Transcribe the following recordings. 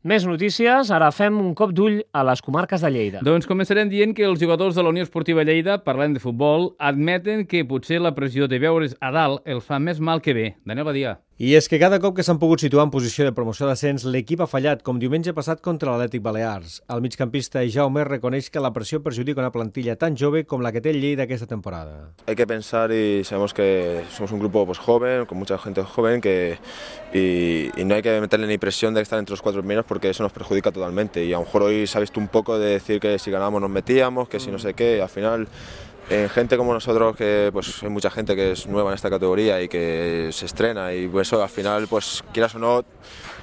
Més notícies, ara fem un cop d'ull a les comarques de Lleida. Doncs començarem dient que els jugadors de la Unió Esportiva Lleida, parlant de futbol, admeten que potser la pressió de veure's a dalt els fa més mal que bé. Daniel Badia. I és que cada cop que s'han pogut situar en posició de promoció d'ascens, l'equip ha fallat, com diumenge passat contra l'Atlètic Balears. El migcampista Jaume reconeix que la pressió perjudica una plantilla tan jove com la que té el Lleida aquesta temporada. Hay que pensar y sabemos que somos un grupo joven, con mucha gente joven, y no hay que meterle ni presión de estar entre los 4 primeros porque eso nos perjudica totalmente. Y a lo mejor hoy se ha visto un poco de decir que si ganábamos nos metíamos, que si no sé qué, al final... gente como nosotros, que pues hay mucha gente que es nueva en esta categoría y que se estrena, y pues eso al final, pues quieras o no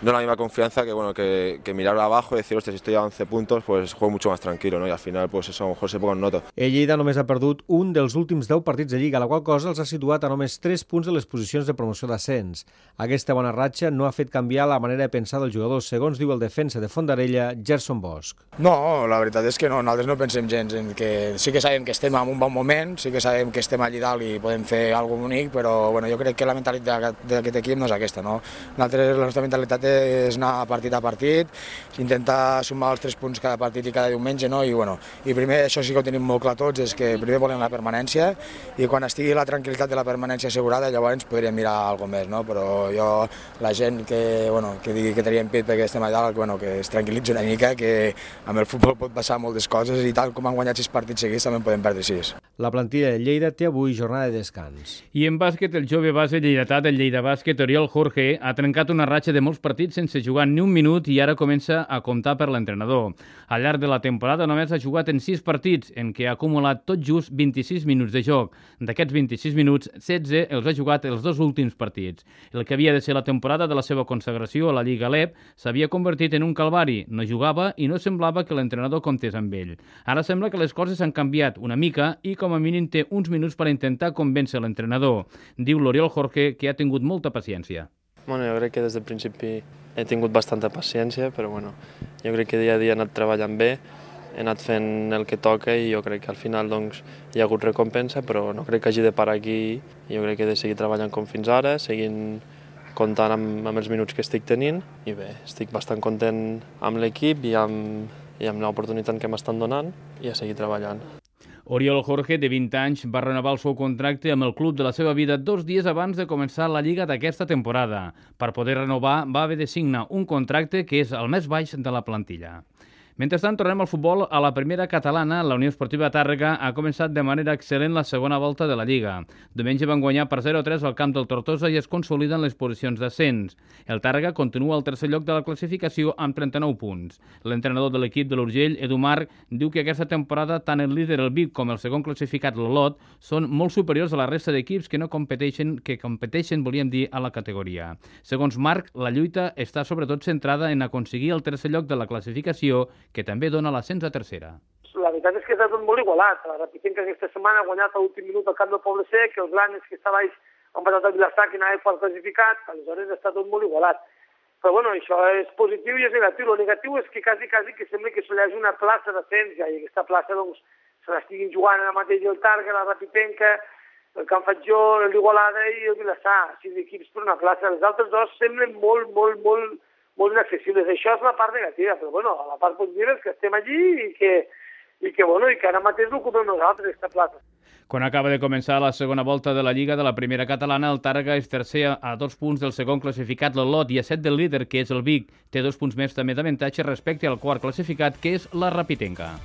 la misma confianza que mirar abajo y decir, hostia, si estoy a 11 puntos, pues juego mucho más tranquilo, ¿no? Y al final pues eso a lo mejor se posa en nota. El Lleida només ha perdut un dels últims 10 partits de Lliga, la qual cosa els ha situat a només 3 punts de les posicions de promoció d'ascens. Aquesta bona ratxa no ha fet canviar la manera de pensar dels jugadors, segons diu el defensa de Fondarella, Gerson Bosch. No, la veritat és que no, nosaltres no pensem gens en que sí que sabem que estem en un bon moment, sí que sabem que estem allà dalt i podem fer alguna cosa bonic, però bueno, jo crec que la mentalitat d'aquest equip no és aquesta, no? Nosaltres, la nostra mentalitat és anar partit a partit, intentar sumar els 3 punts cada partit i cada diumenge, no? I primer, això sí que ho tenim molt clar tots, és que primer volem la permanència i quan estigui la tranquil·litat de la permanència assegurada llavors podríem mirar alguna més, no? Però jo, la gent que digui que teníem pit perquè estem allà dalt, que es tranquil·litzi una mica, que amb el futbol pot passar moltes coses i tal com han guanyat 6 partits seguits també en podem perdre 6. La plantilla de Lleida té avui jornada de descans. I en bàsquet, el jove base lleidatà del Lleida Bàsquet, Oriol Jorge, ha trencat una ratxa de molts partits sense jugar ni un minut i ara comença a comptar per l'entrenador. Al llarg de la temporada només ha jugat en 6 partits, en què ha acumulat tot just 26 minuts de joc. D'aquests 26 minuts, 16 els ha jugat els 2 últims partits. El que havia de ser la temporada de la seva consagració a la Lliga LEP s'havia convertit en un calvari. No jugava i no semblava que l'entrenador comptés amb ell. Ara sembla que les coses han canviat una mica i com a mínim té uns minuts per intentar convèncer l'entrenador. Diu l'Oriol Jorge que ha tingut molta paciència. Jo crec que des del principi he tingut bastanta paciència, però jo crec que dia a dia he anat treballant bé, he anat fent el que toca i jo crec que al final hi ha hagut recompensa, però no crec que hagi de parar aquí. Jo crec que he de seguir treballant com fins ara, seguint comptant amb els minuts que estic tenint i bé, estic bastant content amb l'equip i amb l'oportunitat que m'estan donant i a seguir treballant. Oriol Jorge, de 20 anys, va renovar el seu contracte amb el club de la seva vida 2 dies abans de començar la Lliga d'aquesta temporada. Per poder renovar, va haver de signar un contracte que és el més baix de la plantilla. Mentrestant, tornem al futbol. A la primera catalana, la Unió Esportiva Tàrrega ha començat de manera excel·lent la segona volta de la Lliga. Diumenge van guanyar per 0-3 al camp del Tortosa i es consoliden les posicions d'ascens. El Tàrrega continua al tercer lloc de la classificació amb 39 punts. L'entrenador de l'equip de l'Urgell, Edu Marc, diu que aquesta temporada tant el líder, el Vic, com el segon classificat, l'Olot, són molt superiors a la resta d'equips que competeixen, volíem dir, a la categoria. Segons Marc, la lluita està sobretot centrada en aconseguir el tercer lloc de la classificació, que també dona l'ascens a tercera. La veritat és que està tot molt igualat. La Rapitenca aquesta setmana ha guanyat a l'últim minut al camp del Poble Sec, els Blanes, que està baix, han passat a Vilassar, que anava fort classificat, aleshores està tot molt igualat. Però bueno, això és positiu i és negatiu. El negatiu és que quasi que sembla que s'hi hagi una plaça d'ascens ja, i aquesta plaça se l'estiguin jugant ara mateix el Tàrrega, la Rapitenca, el Can Fatjó, l'Igualada i el Vilassar. 6 equips per una plaça. Els altres 2 semblen molt inaccessibles. Això és la part negativa, però bueno, la part positiva és que estem allí i que ara mateix l'ocupem nosaltres, aquesta plaça. Quan acaba de començar la segona volta de la Lliga de la primera catalana, el Tàrrega és tercer a 2 punts del segon classificat, l'Olot, i a 7 del líder, que és el Vic. Té 2 punts més també d'avantatge respecte al quart classificat, que és la Rapitenca.